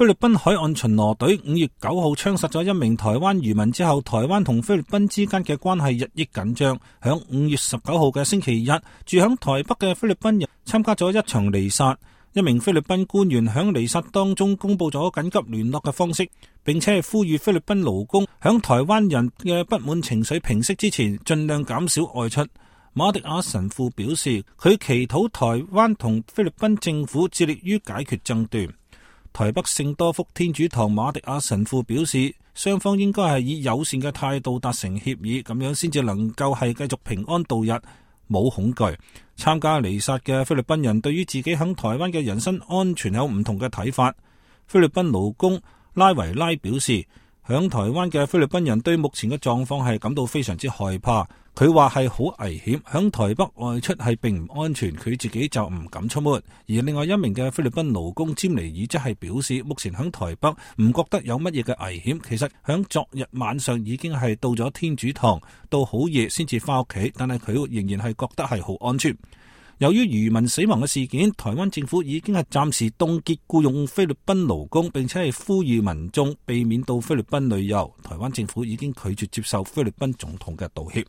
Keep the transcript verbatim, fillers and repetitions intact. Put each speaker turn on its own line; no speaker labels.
菲律賓海岸巡邏隊五月九號槍殺咗一名台灣漁民之後，台灣同菲律賓之間嘅關係日益緊張。響五月十九號嘅星期日，住響台北嘅菲律賓人參加咗一場彌撒。一名菲律賓官員響彌撒當中公布咗緊急聯絡嘅方式，並且係呼籲菲律賓勞工響台灣人嘅不滿情緒平息之前，盡量減少外出。馬迪亞神父表示，佢祈禱台灣同菲律賓政府致力於解決爭端。台北聖多福天主堂馬迪亞神父表示，雙方應該係以友善嘅態度達成協議，咁樣先至能夠係繼續平安度日，冇恐懼。參加彌撒嘅菲律賓人對於自己響台灣嘅人身安全有唔同嘅睇法。菲律賓勞工拉維拉表示，響台灣嘅菲律賓人對目前嘅狀況係感到非常之害怕。佢話係好危險，響台北外出係並唔安全，佢自己就唔敢出沒。而另外一名嘅菲律賓勞工詹尼爾則係表示，目前響台北唔覺得有乜嘢嘅危險。其實響昨日晚上已經係到咗天主堂，到好夜先至翻屋企，但係佢仍然係覺得係好安全。由於漁民死亡嘅事件，台灣政府已經係暫時凍結僱用菲律賓勞工，並且係呼籲民眾避免到菲律賓旅遊。台灣政府已經拒絕接受菲律賓總統嘅道歉。